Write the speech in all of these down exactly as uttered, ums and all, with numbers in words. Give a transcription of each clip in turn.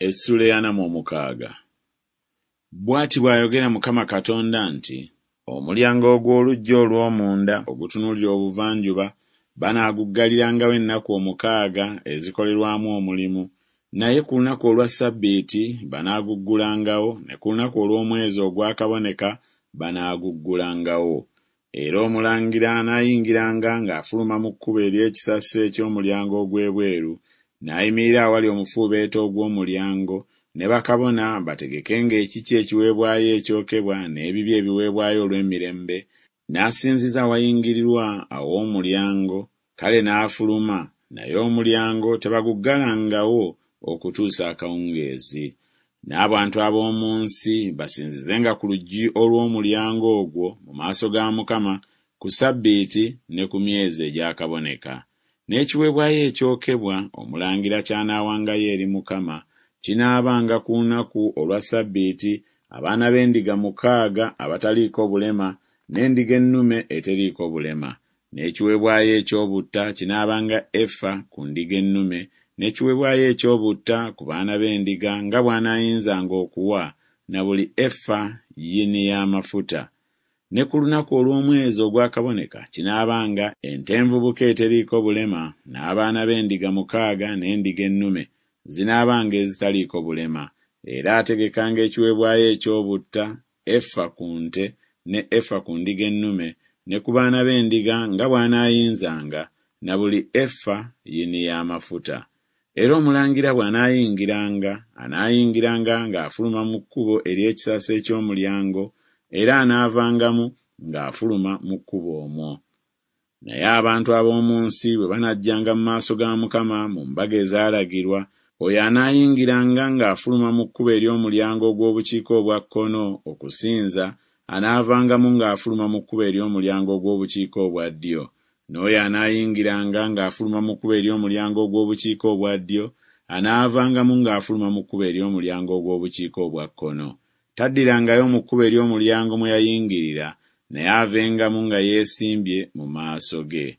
Essuula ey'ana mu omukaaga. Bw'ati bw'ayogera Mukama Katonda nti, Omulyango ogw'oluggya olw'omunda ogutunuulira obuvanjuba banaagugalirangawo ennaku omukaaga ezikolerwamu omulimu, naye ku lunaku olwa ssabbiiti banaaguggulangawo, ne ku lunaku olw'omwezi ogwakaboneka banaaguggulangawo. Era omulangira anaayingiranga ng'afuluma mu kkubo ery'ekisasi eky'omulyango ogw'ebweru, n'ayimirira awali omufuubeeto ogw'omulyango, ne bakabona bategekenga ekikye ekiweebwayo ekyokebwa n'ebibye ebiweebwayo olw'emirembe, n'asinziza awayingirirwa aw'omulyango, kale n'afuluma, naye omulyango tebaguggalangawo okutuusa akawungeezi. N'abantu ab'omu nsi basinzizenga ku luggi olw'omulyango ogwo mu maaso ga Mukama ku ssabbiiti ne ku myezi egyakaboneka. N'ekiweebwayo ekyokebwa omulangira ky'anaawangayo eri Mukama kinaabanga ku lunaku olwa ssabbiiti abaana b'endiga mukaaga abataliiko bulema n'endiga ennume eteriiko bulema. N'ekiweebwayo eky'obutta kinaabanga efa ku ndiga ennume n'ekiweebwayo eky'obutta ku baana b'endiga nga bw'anaayinzanga okuwa, na buli efa yini y'amafuta. Ne ku lunaku olw'omwezi ogwakaboneka kinaabanga ente envubuka eteriiko bulema n'abaana b'endiga mukaaga n'endiga ennume zinaabanga ezitaliiko bulema. Era ategekanga ekiweebwayo eky'obutta, efa ku nte ne efa ku ndiga ennume ne ku baana b'endiga nga bw'anaayinzanga, na buli efa yini y'amafuta. Era omulangira bw'anaayingiranga, anaayingiranga ng'afuluma mu kkubo ery'ekisasi eky'omulyango, era anaavangamu ng'afuluma mu kkubo omwo. Naye abantu ab'omu nsi bwe banajjanga mu maaso ga Mukama mu mbaga ezaalagirwa, oyo anaayingiranga ng'afuluma mu kkubo ery'omulyango ogw'obukiika obwa kkono okusinza, anaavangamu ng'afuluma mu kkubo ery'omulyango ogw'obukiika obwa ddyo. N'oyo anaayingiranga ng'afuluma mu kkubo ery'omulyango ogw'obukiika obwa ddyo, anaavangamu ng'afuluma mu kkubo ery'omulyango ogw'obukiika obwa kkono. Taddirangayo mu kkubo ery'omulyango mwe yayingirira, naye avengamu nga yeesimbye mu maaso ge.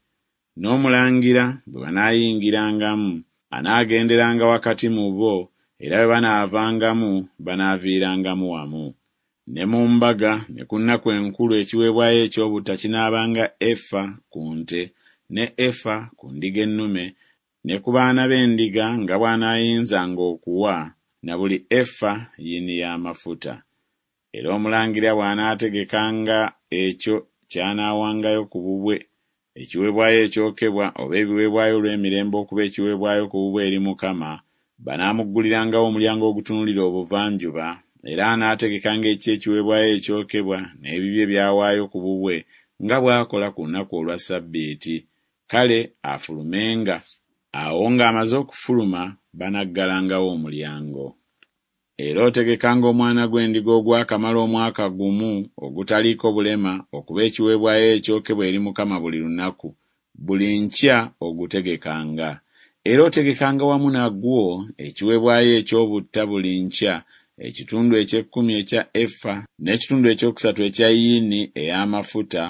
N'omulangira bwe banaayingirangamu, anaagenderanga wakati mu bo, era bwe banaavangamu banaaviirangamu wamu. Ne mu mbaga ne ku nnaku enkulu ekiweebwayo eky'obutta kinaabanga efa ku nte ne efa ku ndiga ennume ne ku baana b'endiga nga bw'anaayinzanga okuwa, na buli efa yini y'amafuta. Era omulangira bw'anaategekanga ekyo ky'anaawangayo ku bubwe, ekiweebwayo ekyokebwa oba ebiweebwayo olw'emirembe okuba ekiweebwayo ku bubwe eri Mukama, banaamuggulirangawo omulyango ogutunuulira obuvanjuba, era anaategekanga ekikye ekiweebwayo ekyokebwa n'ebibye by'awaayo ku bubwe nga bw'akola ku lunaku olwa ssabbiiti, kale afulumenga. Awo ng'amaze okufuluma banaggalangawo omulyango. Era otegekanga omwana gw'endiga ogwakamala omwaka gumu ogutaliiko bulema okuba ekiweebwayo ekyokebwa eri Mukama buli lunaku, buli nkya ogutegekanga. Era otegekanga wamu nagwo ekiweebwayo eky'obutta buli nkya, ekitundu eky'ekkumi ekya efa n'ekitundu ekyokusatu ekya yini ey'amafuta,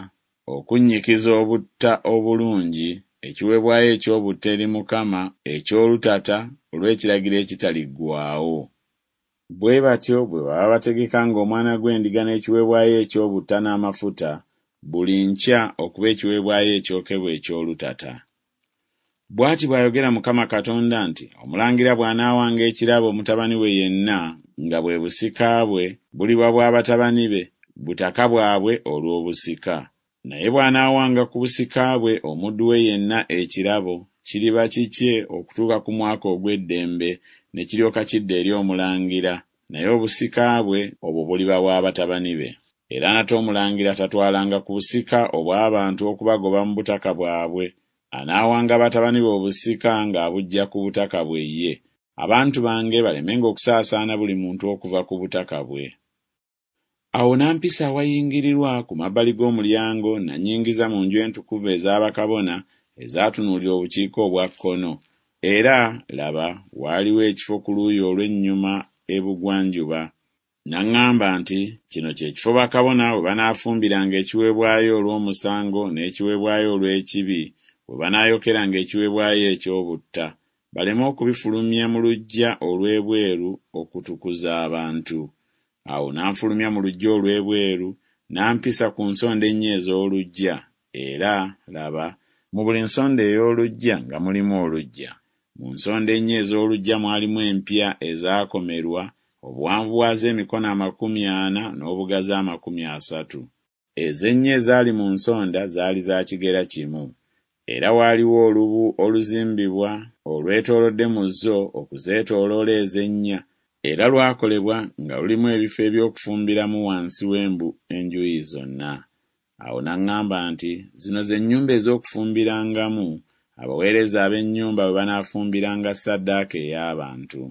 okunnyikiza obutta obulungi, ekiweebwayo eky'obutta eri Mukama eky'olutata olw'ekiragiro ekitaliggwaawo. Bwe batyo bwe baba bategekanga omwana gw'endiga n'ekiweebwayo eky'obutta n'amafuta buli nkya okuba ekiweebwayo ekyokebwa eky'olutata. Bw'ati bw'ayogera Mukama Katonda nti, Omulangira bw'anaawanga ekirabo mutabani we yenna, nga bwe busika bwe, buliba bwa batabani be, butaka bwabwe olw'obusika. Naye bw'anaawanga ku busika bwe omuddu we yenna ekirabo, kiriba kikye okutuuka ku mwaka ogw'eddembe, ne kiryoka kidda eri omulangira, naye obusika bwe obwo buliba bwa batabani be. Era nate omulangira tatwalanga ku busika obw'abantu okubagoba mu butaka bwabwe, anaawanga batabani be obusika ng'abuggya ku butaka bwe ye, abantu bange balemenga okusaasaana buli muntu okuva ku butaka bwe. Awo n'ampisa awayingirirwa ku mabbali g'omulyango n'annyingiza mu nju entukuvu eza bakabona ezaatunuulira obukiika obwa kkono, era, laba, waaliwo ekifo ku luuyi olw'ennyuma ebugwanjuba. N'aŋŋamba nti, Kino kye kifo bakabona we banaafumbiranga ekiweebwayo olw'omusango n'ekiweebwayo olw'ekibi, we banaayokeranga ekiweebwayo eky'obutta. baleme okubifulumya mu luggya olw'ebweru okutukuza abantu. Awo n'anfulumya mu luggya olw'ebweru, n'ampisa ku nsonda ennya ez'oluggya, era, laba, mu buli nsonda ey'oluggya nga mulimu oluggya. Mu nsonda ennya ez'oluggya mwalimu empya ezaakomerwa, obuwanvu bwazo emikono amakumi ana n'obugazi amakumi asatu. Ezo ennya ezaali mu nsonda zaali za kigera kimu. Era waaliwo olubu oluzimbibwa olwetoolodde mu zo okuzeetooloola ezo ennya, era lwakolebwa nga lulimu ebifo eby'okufumbiramu wansi w'embu enjuuyi zonna. Awo n'aŋŋamba nti, Zino ze nnyumba ez'okufumbirangamu, abaweereza ab'ennyumba we banaafumbiranga ssaddaaka ey'abantu.